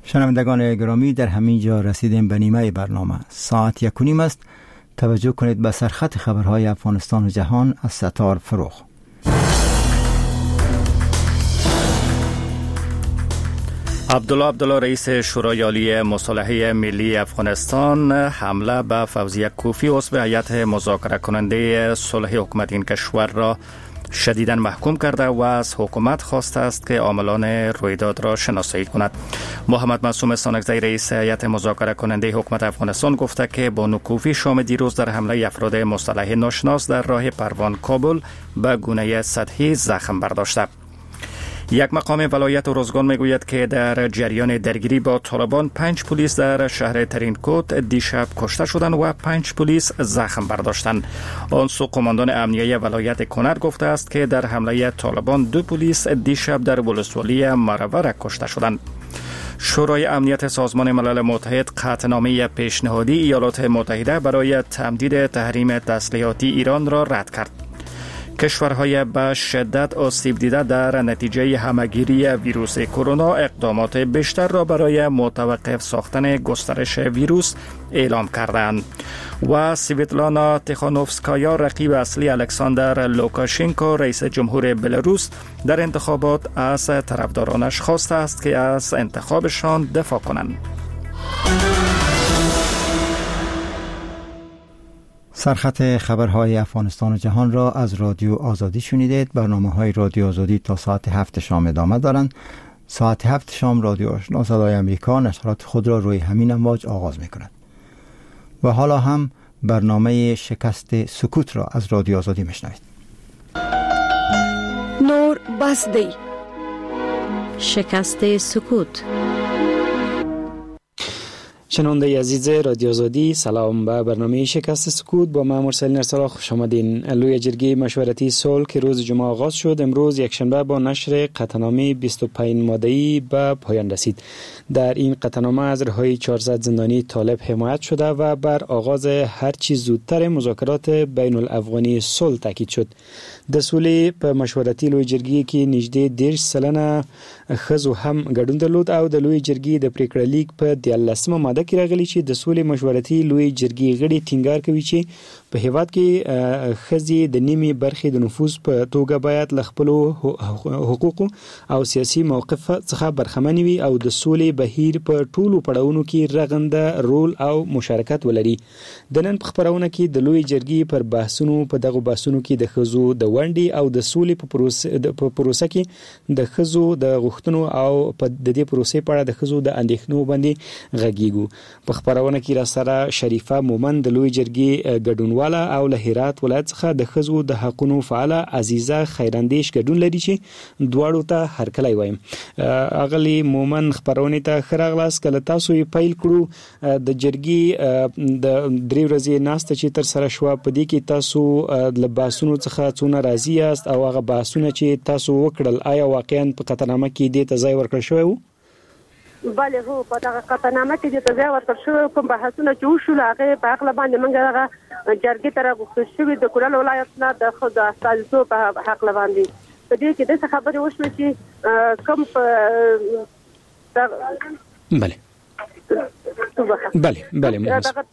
S1: شنوندگان گرامی، در همین جا رسیدیم به نیمه برنامه. ساعت یک و نیم است. توجه کنید به سرخط خبرهای افغانستان و جهان از ستار فروخ.
S3: عبدالله عبدالله رئیس شورای عالی مصالحه ملی افغانستان حمله به فوزیه کوفی عضو هیئت مذاکره کننده صلح حکومت این کشور را شدیداً محکوم کرده و از حکومت خواسته است که عاملان رویداد را شناسایی کند. محمد معصوم ستانکزی رئیس هیئت مذاکره کننده حکومت افغانستان گفته که بانو کوفی شام دیروز در حمله افراد مسلح ناشناس در راه پروان کابل به گونه سطحی زخم برداشته. یک مقام ولایت ارزگان میگوید که در جریان درگیری با طالبان پنج پلیس در شهر ترینکوت دیشب کشته شدند و پنج پلیس زخم برداشتند. آن سو قماندان امنیه ولایت کنر گفته است که در حمله طالبان دو پلیس دیشب در ولسوالی مروره کشته شدند. شورای امنیت سازمان ملل متحد قطعنامه پیشنهادی ایالات متحده برای تمدید تحریم تسلیحاتی ایران را رد کرد. کشورهای به شدت آسیب دیده در نتیجه همه‌گیری ویروس کرونا اقدامات بیشتر را برای متوقف ساختن گسترش ویروس اعلام کردند. و سویتلانا تیخانوفسکایا رقیب اصلی الکساندر لوکاشنکو رئیس جمهور بلاروس در انتخابات از طرفدارانش خواسته است که از انتخابشان دفاع کنند.
S1: سرخط خبرهای افغانستان و جهان را از رادیو آزادی شنیدید. برنامه‌های رادیو آزادی تا ساعت هفت شام ادامه دارند. ساعت هفت شام رادیو آشنا صدای آمریکا نشرات خود را روی همین امواج آغاز می‌کند. و حالا هم برنامه شکست سکوت را از رادیو آزادی می‌شنوید.
S10: نور بس دی.
S9: شکست سکوت.
S21: شنونده عزیز رادیو آزادی، سلام. به برنامه شکست سکوت با من مرسل نرسلا خوش آمدین. لوی جرگه مشورتی صلح که روز جمعه آغاز شد، امروز یکشنبه با نشر قطعنامه بیست و پنج ماده‌ای به پایان رسید. در این قطعنامه از رهایی چهارصد زندانی طالب حمایت شده و بر آغاز هرچی زودتر مذاکرات بین الافغانی صلح تاکید شد. د سولې په مشورتي لوی جرګې کې نږدې دېرش سلنه ښځو هم ګډون درلود او د لوی جرګې د پریکړه لیک په دیارلسمه ماده کې راغلي چې د سولې مشورتي لوی جرګې غړي ټینګار کوي چې په هیواد کې ښځې د نیمې برخې د نفوذ په توګه باید له خپلو حقوقو او سیاسي موقف څخه برخمنې وي او د سولې بهیر په ټولو پړاوونو کې رغنده رول او مشارکت ولري. د نن په خپرونه کې د لوی جرګې پر بحثونو، په دغو بحثونو کې د ښځو د ونډې او د سولې په پروسه په پروسه کې د ښځو د غوښتنو او په د دې پروسې په اړه د ښځو د اندېښنو باندې غږیږو. په خپرونه کې را سره شریفه مومند د لوی جرګې ګډونواله او له هرات ولایت څخه د ښځو د حقونو فعاله عزیزه خیراندیش ګډون لري چې دواړو ته هرکلی وایم. اغلی مومند، خپرونې ته ښه راغلاست. که له تاسو یې پیل کړو، د جرګې د درې ورځې ناسته چې ترسره شوه، په دې کې تاسو له بحثونو څخه څونه راضي یاست او هغه بحثونه چې تاسو وکړل آیا واقعا په قطعنامه کې دې ته ځای ورکړل شوی و؟
S22: بله، هو، په دغه قطعنامه کې دې ته ځای ورکړل شوی. کوم بحثونه چې وشول هغې په هکله باندې موږ دغه جرګې ته راغوښتل شوي د کونړ ولایت نه د ښځو استازیتوب په هکله باندې. په دې کې داسې خبرې وشوې چې کوم په
S21: بله بله بله
S22: دغه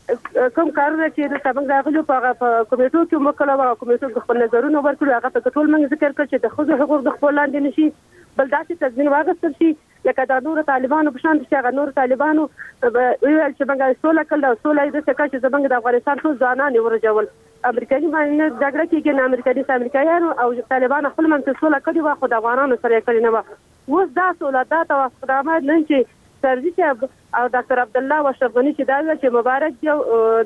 S22: کوم کارونه چې دلته موږ راغلو په هغه په کمیټو کې مو کړل، هغه کمیټو کې خپل نظرونه ورکړو، هغه په ټول موږ ذکر کړ چې د ښځو حقوق د خپل لاندې نشي، بل داسې تضمین واغستل شي لکه دا نور طالبانو په شان چې هغه نور طالبانو ویل چې موږ سوله کړل او سوله یې داسې کړه چې زموږ د افغانستان ټول ځوانان یې ورجول. امریکایي باندې جګړه کېږي نه امریکایي امریکایانو او طالبانو خپل منځ کې سوله کړې وه، خو د افغانانو سره یې کړې نه وه. اوس دا سوله دا توافقنامه نن چې کرزي صاحب او ډاکټر عبدالله او اشرف غني چې دا ویل چې مبارک دی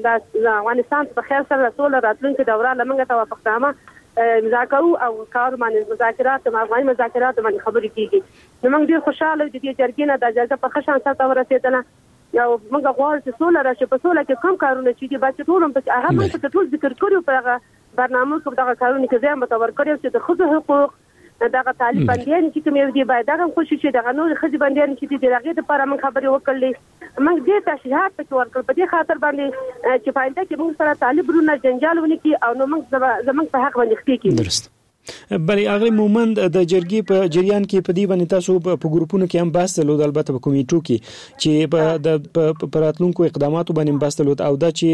S22: د افغانستان په خیر سره سوله راتلونکې دوره له موږ توافقنامه امضا کوو او کار باندې مذاکرات افغاني مذاکرات باندې خبرې کېږي. نو موږ ډېر خوشحاله یو د دې جرګې نه، دا جرګه په ښه شان سرته ورسېدله او موږ غواړو چې سوله راشي. په سوله کې کوم کارونه چې دي باید چې ټول هم پکې هغه موږ پکې ټول ذکر کړي په هغه برنامو کې دغه کارونه کې ځای ورته ورکړی چې د ښځو حقوق دغه طالب بندیان چې کوم یو دي باید دغه هم خوشي شي، دغه نور ښځې بندیان چې دي د هغې دپاره موږ خبرې وکړلې. موږ ډېر تشریحات پکې ورکړل په دې خاطر باندې چې په آینده کې موږ سره طالب وروڼه جنجال ونه کړي او نو موږ زموږ په حق باندې ښکې کړي.
S21: درست. بله اغلی مومند، د جرګې په جریان کې په دې باندې تاسو په ګروپونو کې هم بحث درلود، البته په کمیټو کې چې په په راتلونکو اقداماتو باندې بحث درلود او دا چې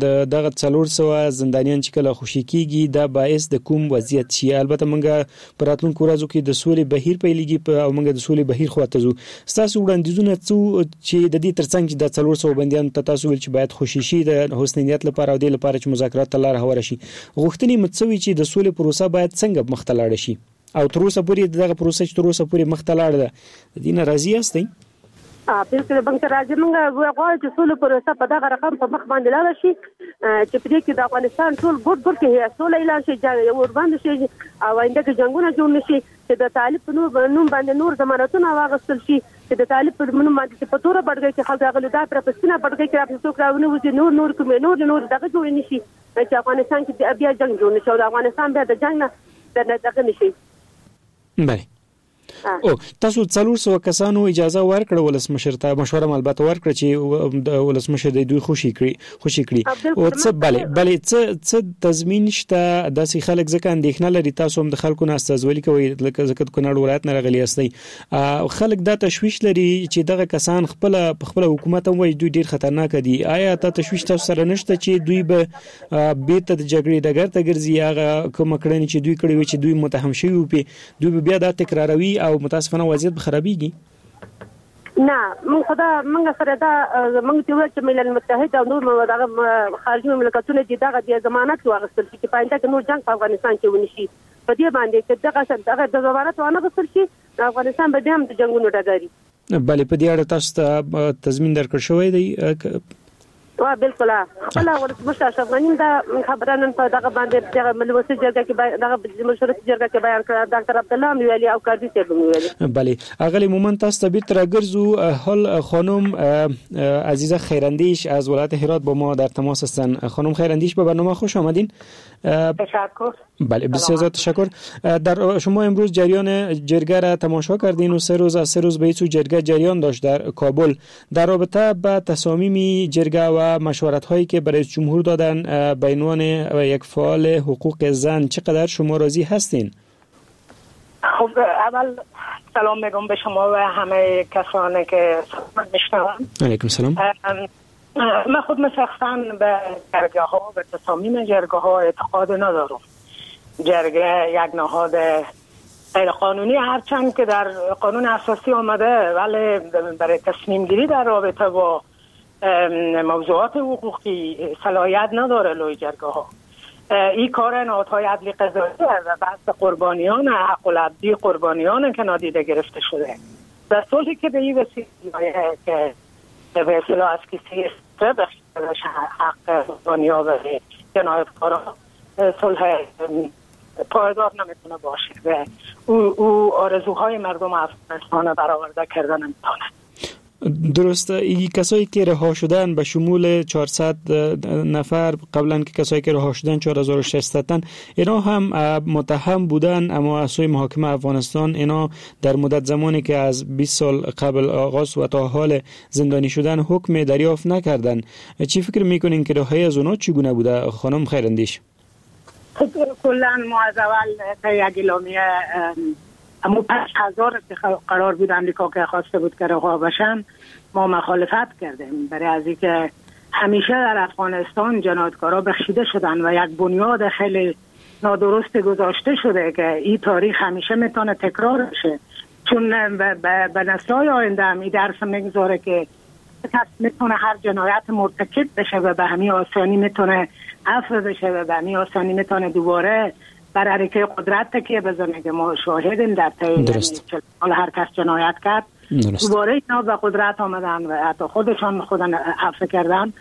S21: د دغه څلور سوه زندانیان چې کله خوشي کیږي دا باعث د کوم وضعیت شي. البته موږ په راتلونکو ورځو کې د سولې بهیر پیلېږي او موږ د سولې بهیر خواته ځو. ستاسو وړاندیزونه څه چې د دې ترڅنګ چې د څلور سوه بندیان ته تاسو ویل چې باید خوشي شي د حسن نیت لپاره او دې لپاره چې مذاکرات ته لاره هواره شي، غوښتنې مو څه وي چې د سولې پروسه باید څنګه مخته لاړه شي او تر اوسه پورې دغه پروسه چې تر اوسه پورې مخته لاړه ده د دې نه راضي یاستئ؟
S22: بالکل موږ ته راضي. موږ غواړو چې سولې پروسه په دغه رقم په مخ باندې لاړه شي چې په دې کې د افغانستان ټول ګوټ ګوټ کې سوله اعلان شي، اوربند شي او آینده کې جنګونه جوړ نه شي، چې د طالب په نوم باندې نور ضمانتونه واغستل شي، چې د طالب په نوم باندې چې په توره بډګۍ کې خلک راغلي دا پر په سپینه بډګۍ کې راپسې څوک راونه وځي، نور نور کومې نور نور دغه جوړ نه شي چې افغانستان کې بیا جنګ جوړ نه شي او د افغانستان بیا د جنګ نه دغه نه شي.
S21: بله. او تاسو څلور سوه کسانو اجازه ورکړه ولسمشر ته، مشوره هم البته ورکړه چې د ولسمشر د دوی خوشي کړي خوشي کړي او څه بله بله څه څه تضمین شته داسې خلک ځکه اندېښنه لري، تاسو هم د خلکو نه استازولي کوئ لکه ځکه د کونړ ولایت نه راغلي یاستئ، خلک دا تشویش لري چې دغه کسان خپله په خپله حکومت هم وایي دوی ډېر خطرناک دي. آیا تا تشویش تاسو سره نشته چې دوی به بیرته د جګړې ډګر ته ګرځي، هغه کومه کړنې چې دوی کړې وي چې دوی متهم شوي وو پې دوی به بیا دا تکراروي او متاسفانه وضعیت به خرابېږي؟
S22: نه، موږ خو دا موږ سره دا موږ چې وویل چې ملل متحد او نور دغه خارجي مملکتونه دي دغه د ضمانت واخیستل شي چې په آینده کې نور جنګ په افغانستان کې ونه شي. په دې باندې چې دغه دغه د ضمانت وانه غوښتل شي افغانستان به بیا هم د جنګونو ډګر وي.
S21: بله په دې اړه تاسو ته تضمین درکړ شوی دی؟
S22: وا بالکل خپل ولسمشر اشرف غني دا خبره نن په دغه باندې دغه ملوسي جرګه کې دغه مشورتي جرګه کې بیان کړه، ډاکټر عبدالله هم ویلي او کرزي صاحب هم ویلي.
S21: بله اغلی مومند تاسو ته بیرته راګرځو. حال خانم عزیزه خیراندیش از ولایت هرات با ما در تماس هستند. خانم خیراندیش به برنامه خوش آمدین.
S4: تشکر.
S21: بله بسیار زیاد تشکر. در شما امروز جریان جرگه را تماشا کردین و سه روز از سه روز به ایسو جرگه جریان داشت در کابل. در رابطه به تصامیم جرگه و مشورت هایی که برای جمهور دادن به عنوان یک فعال حقوق زن چقدر شما راضی هستین؟
S4: خب اول سلام میگم به شما و همه کسانی که میشنون.
S21: علیکم سلام.
S4: من خود شخصا به جرگه ها و تصامیم جرگه ها اعتقاد ندارم. جرگه یک نهاد غیر قانونی هرچند که در قانون اساسی آمده، ولی برای تصمیم گیری در رابطه با موضوعات حقوقی صلاحیت نداره لوی جرگه ها. این کار نهادهای عدلی قضایی و بحث قربانیان حق العبدی قربانیان که نادیده گرفته شده در صلحی که به این وسیله که به اصطلاح از کسی بخش حق قربانی‌ها و جنایتکارا صلح پایدار نمیتونه باشه و او, او آرزوهای مردم افغانستان برآورده کردن نمیتونه.
S21: درست. ای کسایی که رها شدن به شمول چهارصد نفر قبلا که کسایی که رها شدن چهار هزار و ششصد تن، اینا هم متهم بودن، اما از سوی محاکمه افغانستان اینا در مدت زمانی که از بیست سال قبل آغاز و تا حال زندانی شدن حکم دریافت نکردن. چی فکر میکنین که رهایی از اونا چگونه بوده خانم خیراندیش؟
S4: خب کلا ما از اول یک اعلامیه اما پنج هزار که قرار بود امریکا که خواسته بود که رها بشن ما مخالفت کردیم، برای از اینکه همیشه در افغانستان جنایتکارا بخشیده شدن و یک بنیاد خیلی نادرست گذاشته شده که این تاریخ همیشه میتونه تکرار بشه. چون به نسل‌های آینده هم این درس میگذاره که کس میتونه هر جنایت مرتکب بشه و به همین آسانی میتونه عفو بشه و به همین آسانی میتونه دوباره بر حرکه قدرت تکیه بزنه که ما شاهدیم در طی حال هر کس جنایت کرد دوباره اینا به قدرت آمدن و حتی خودشان خودن عفو کردن.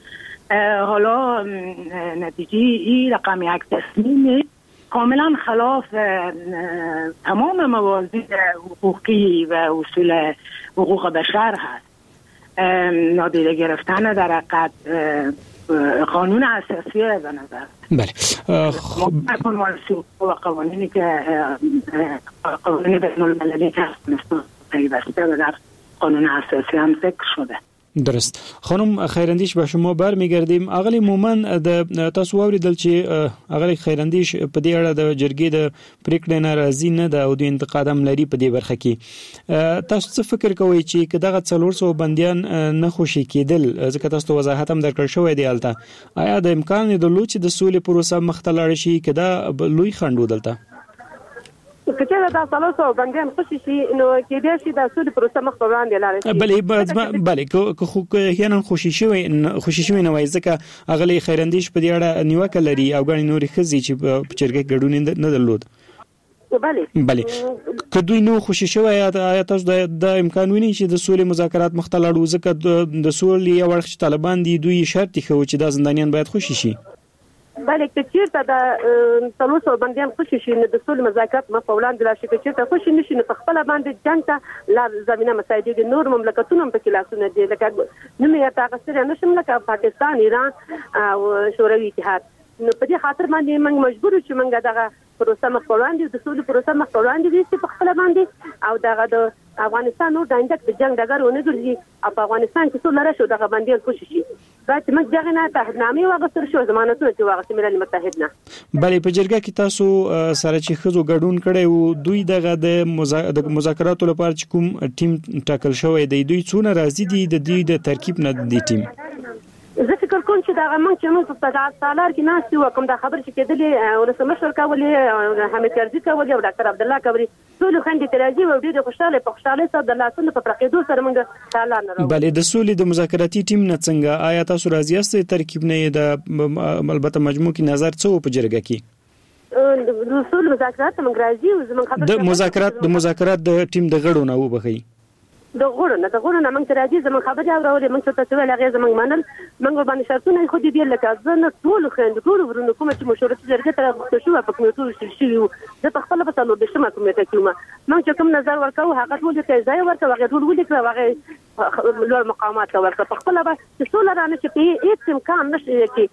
S4: حالا نتیجه این رقم یک تصمیم کاملا خلاف تمام موازین حقوقی و اصول حقوق بشر هست. نادیده گرفتن در حقیقت قانون اساسی به نظر.
S21: بله خب
S4: و قوانینی که قوانین بین المللی که پیوسته و در قانون اساسی هم ذکر شده.
S21: درست. خانم خیراندیش به شما برمیگردیم. اغلی مومن د تاسو واوریدل چې اغلی خیراندیش په دې اړه د جرګې د پریکړې ناراضي نه ده او د انتقاد هم لري په دې برخه کې. تاسو څه فکر کوئ چې که دغه څلور سوه بندیان نه خوشي کېدل، ځکه تاسو ته وضاحت هم درکړل شوی دی هلته، آیا د امکان یې درلود چې د سولې پروسه مخته لاړه شي که دا لوی خنډ و دلته؟
S22: که چېرې دا څلور سوه بندیان خوشي شي نو کېدای شي د سولې پروسه مخ په وړاندې لاړه شي.
S21: بله بله که خو احیانا خوشي شوی خوشي شوی نه وای، ځکه اغلې خیراندیش په دې اړه نیوکه لري او ګڼې نورې ښځې چې په جرګه کې ګډون یې نه درلود.
S22: بله
S21: بله که دوی نو خوشي شوی، آیا تاسو دا امکان وینئ چې د سولې مذاکرات مخته لاړ وو؟ ځکه د سولې یو اړخ چې طالبان دي دوی شرط ایښی چې دا زندانیان باید خوشي شي.
S22: بله که چېرته د څلور سوه بندیان خوشي شي نو د سولې مذاکرات مخ په وړاندې لاړ شي، که چېرته خوشي نه شي نو په خپله باندې جنګ ته لار زمینه مساعدېږي. نور مملکتونه هم پکې لاسونه دي، لکه نوم یې ورته اخیستلی نه شم، لکه پاکستان، ایران او شوروي اتحاد. نو په دې خاطر باندې موږ مجبور یو چې موږ دغه پروسه مخ په وړاندې، د سولې پروسه مخ په وړاندې یوسي په خپله باندې، او دغه د افغانستان نور د آینده د جنګ ډګر ونه ګرځي او په افغانستان کې سوله راشي او دغه بندیان خوشي شي. باید چې موږ دغه نه تعهدنامې واخیستل شو، ضمانتونه چې واخیستل ملل متحد نه.
S21: بله په جرګه کې تاسو سره چې ښځو ګډون کړی وو، دوی دغه د مذاکراتو لپاره چې کوم ټیم ټاکل شوی دی، دوی څونه راضي دي د دوی د ترکیب نه د دې ټیم؟
S22: زه فکر کوم چې دغه موږ چې موږ په تالار کې ناست یو، کوم دا خبرې چې کېدلې ولسمشر کولې، حامد کرزي کولې او ډاکټر عبدالله کولې، ټول خویندې ترې راضي وو، ډېرې خوشحاله، په خوشحالۍ سره د لاسونو په پرقېدو سره موږ تالار نه راووتو.
S21: بله د سولې د مذاکراتي ټیم نه څنګه، آیا تاسو راضي یاست ترکیب نه یې د البته مجموع کې نظر څه و په جرګه کې؟
S22: د سولې مذاکرات موږ راضي یو، زموږ خبرې
S21: د مذاکرات د مذاکرات د ټیم د غړو نه وبخښئ.
S22: د غړو نه د غړو نه موږ ته راځي، زموږ خبرې اورولې، موږ ته څه ویل هغې زموږ منل، موږ ورباندې شرطونه ایښودي دي. لکه زه نه ټولو خویندو ټولو ورونو کومه چې مشورتي جرګې ته راغوښتل شوه په کمیټو ویشل شوي وو، زه په خپله په څلور دېرشمه کمیټه کې وم. موږ چې کوم نظر ورکوو هغه ټولو ته یې ځای ورکړ، هغې ټول ولیکل، هغې لوړ مقامات ته ورکړه. په خپله به چې سوله رانه شي، په هېڅ امکان نشته چې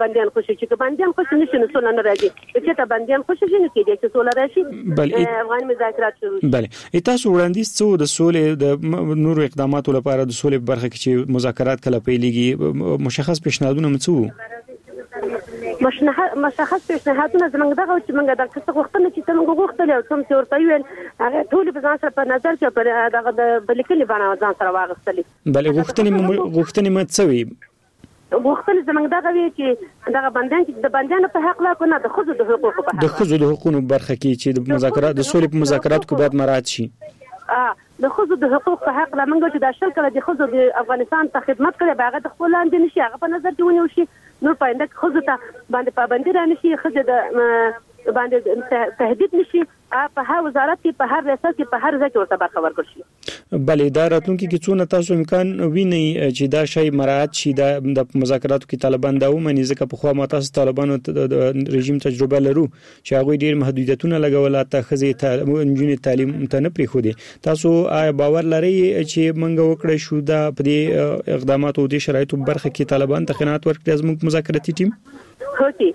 S22: بندیان خوشي شي. که بندیان خوشي نه شي نو سوله نه راځي، که چېرته بندیان خوشي شي نو کېدای شي سوله راشي، افغاني مذاکرات شروع شي.
S21: بله تاسو وړاندیز څه و د سولې د نورو اقداماتو لپاره د سولې په برخه کې چې مذاکرات کله پیلېږي، مشخص پیشنهادونه مو څه وو؟
S22: مشخص پیشنهادونه زموږ دغه چې موږ د څه غوښتنه چې څه موږ غوښتلې او څه چې ورته ویل هغه ټولې په ځان سره په نظر کې په دغه د لیکلې بڼه ځان سره واغستلې.
S21: بله غوښتنې غوښتنې مو څه وې؟
S22: غوښتنې زموږ دغه وې چې دغه بندیان چې د بندیانو په حق لا کنه د ښځو د حقوقو په حق،
S21: د ښځو د حقوقو برخه کې چې د مذاکرات د سولې په مذاکراتو کې باید مراعات شي.
S22: د ښځو د حقوق په حق لا موږ چې دا شل کاله د ښځو د افغانستان ته خدمت کړی، به هغه د خپل لاندې نشي، هغه په نظر کې ونیول شي. نور په آینده کې ښځو ته باندې پابندي رانه شي، ښځې د باندې تهدید نشي، په هر وزارت کې په هر ریاست کې په هر ځای کې ورته برخه ورکړل شي.
S21: بله دا راتلونکي کې څونه تاسو امکان وینئ چې دا شی مراعات شي، دا د مذاکراتو کې طالبان دا ومني؟ ځکه پخوا ما تاسو طالبانو د رژیم تجربه لرو چې هغوی ډېر محدودیتونه لګول، حتی ښځې نجونې تعلیم ته نه پرېښودې. تاسو آیا باور لرئ چې موږ وکړای شو دا په دې اقداماتو او دې شرایطو برخه کې طالبان ته قناعت ورکړي زموږ مذاکراتي ټیم؟
S22: هوکې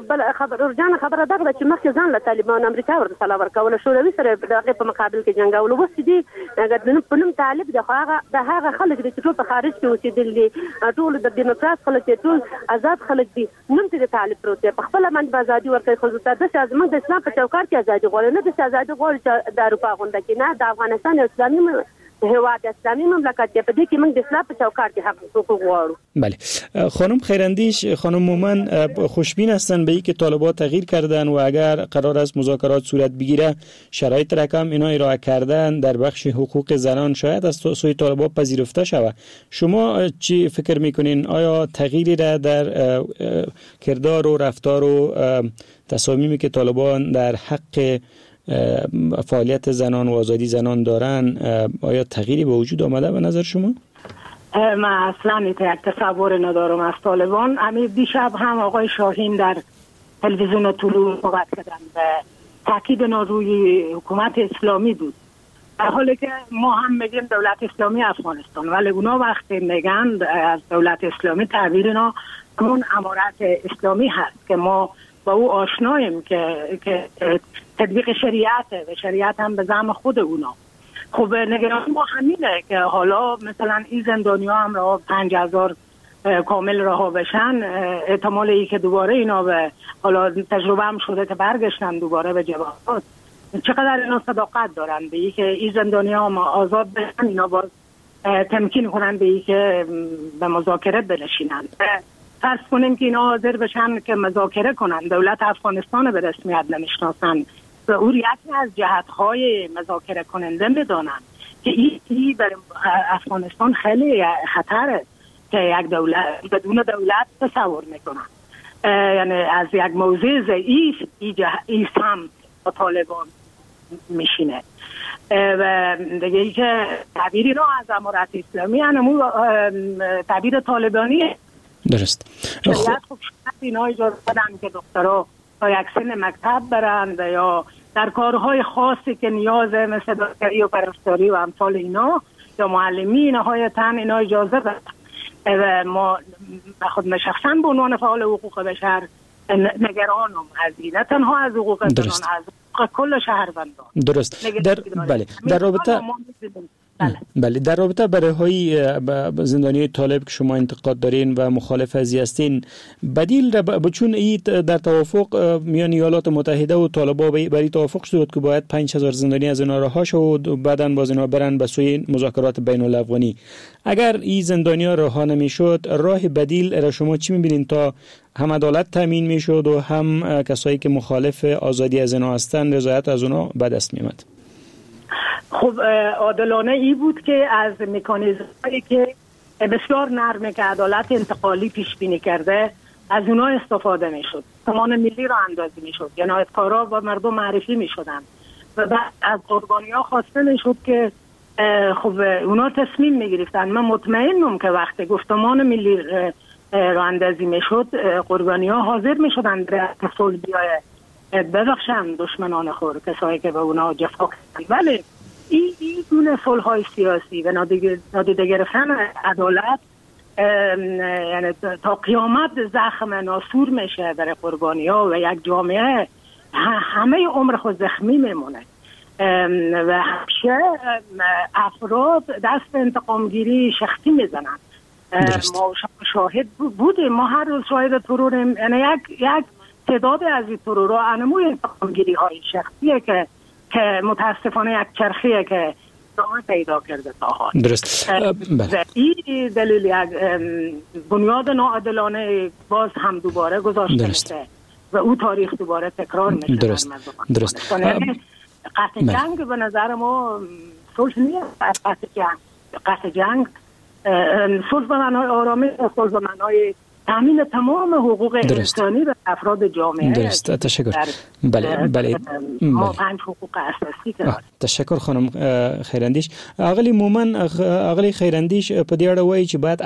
S22: بل خبر ورجان خبره دغه ده چې مخکې ځان له طالبانو امریکا ورته سلا ورکوله، شوروي سره د هغې په مقابل کې جنګولو. اوس چې دي په نوم طالب دی، خو هغه د هغه خلک دي چې ټول په خارج کې اوسېدلي دي، ټول د دیموکرات خلک دي، ټول ازاد خلک دي، نوم ته د طالب پروت دی. په خپله باندې به ازادي ورکوي ښځو ته. داسې زموږ د اسلام په چوکاټ کې ازادي غواړي، نه داسې ازادي غواړي چې د اروپا غونډه کې، نه د افغانستان یو اسلامي هیواد اسلامی مملکت دی، په دې کې موږ د اسلام په چوکاټ کې حق حقوق غواړو.
S21: بله خانم خیراندیش، خانم مومن خوشبین هستن به اینکه طالبان تغییر کردن و اگر قرار است مذاکرات صورت بگیره شرایط رقم اینا ارائه کردن در بخش حقوق زنان شاید از سوی طالبان پذیرفته شود. شما چی فکر میکنین؟ آیا تغییری را در کردار و رفتار و تصامیمی که طالبان در حق فعالیت زنان و آزادی زنان دارن، آیا تغییری به وجود آمده به نظر شما؟
S4: من اصلا یک تصور ندارم از طالبان. همین دیشب هم آقای شاهین در تلویزیون طلوع صحبت کردن و تاکید روی حکومت اسلامی بود، در حالی که ما هم میگیم دولت اسلامی افغانستان، ولی اونا وقتی میگن از دولت اسلامی تعبیر اینا همون امارت اسلامی هست که ما با او آشناییم که که تطبیق شریعته و شریعت هم به زعم خود اونا. خب نگران ما همینه که حالا مثلا این زندانی‌ها هم را پنج هزار کامل رها بشن، احتمال ای که دوباره اینا به حالا تجربه هم شده که برگشتن دوباره به جبهات، چقدر اینا صداقت دارن به ای که این زندانی‌ها هم آزاد بشن، اینا باز تمکین کنن به ای که به مذاکره بنشینن. فرض کنیم که اینا حاضر بشن که مذاکره کنن، دولت افغانستان به رسمیت نمیشناسن و او یکی از جهت‌های مذاکره کننده میدانن که این برای افغانستان خیلی خطره که یک دولت بدون دولت تصور میکنن، یعنی از یک موضع ضعیف این سمت با طالبان میشینه و دیگه ای که تعبیری را از امارت اسلامی همون تعبیر طالبانیه.
S21: درست.
S4: خب اینا اجازه بدن که دخترها تا یک سن مکتب برن و یا در کارهای خاصی که نیازه مثل دکتری و پرستاری و امثال اینا یا معلمی نهایتاً اینا اجازه بدن. و ما خود شخصا به عنوان فعال حقوق بشر نگرانم از این، نه تنها از حقوق زنان، از حقوق کل شهروندان.
S21: درست. در بله در رابطه بله. بله در رابطه برای های زندانی طالب که شما انتقاد دارین و مخالف ازی هستین، بدیل را چون ای در توافق میان ایالات متحده و طالبا برای توافق شد که باید پنج هزار زندانی از اینا رها شود و بعدن باز اینا برن به سوی مذاکرات بین الافغانی. اگر این زندانی ها رها نمیشد، راه بدیل را شما چی میبینین تا هم عدالت تامین میشد و هم کسایی که مخالف آزادی از اینا هستن رضایت از اونا به دست میامد؟
S4: خب عادلانه ای بود که از مکانیزم‌هایی که بسیار نرمه که عدالت انتقالی پیش بینی کرده از اونها استفاده میشد، سامان ملی را اندازی میشد، جنایتکارا با مردم معرفی میشدن و بعد از قربانی‌ها خواسته میشد که خب اونا تصمیم میگرفتن. من مطمئنم که وقتی گفتمان ملی را اندازی میشد قربانی‌ها حاضر میشدن در صلح بیای ببخشن دشمنان خود، کسایی که به اونا جفا کردن. ولی این این گونه صلح‌های سیاسی و نادیده گرفتن عدالت یعنی تا قیامت زخم ناسور میشه برای قربانی‌ها و یک جامعه همه عمر خود زخمی میمونه و همیشه افراد دست انتقامگیری شخصی میزنن. ما شاهد بودیم، ما هر روز شاهد تروریم، یعنی یک یک تعداد از این ترورها انموی انتقامگیری های شخصیه که که متاسفانه یک چرخیه که ادامه پیدا کرده تا حال.
S21: درست. بله.
S4: این دلیل یک بنیاد ناعادلانه باز هم دوباره گذاشته میشه و او تاریخ دوباره تکرار میشه.
S21: درست. درست.
S4: قطع جنگ به نظر ما صلح نیست. قطع جنگ، قطع جنگ صلح به معنای آرامی، صلح به معنای تامین تمام حقوق انسانی به افراد جامعه.
S21: درست. تشکر. بله بله
S4: ما پنج حقوق اساسی داریم.
S21: تشکر خانم خیراندیش. اغلی مومن، اغلی خیراندیش په دې اړه وایي چې باید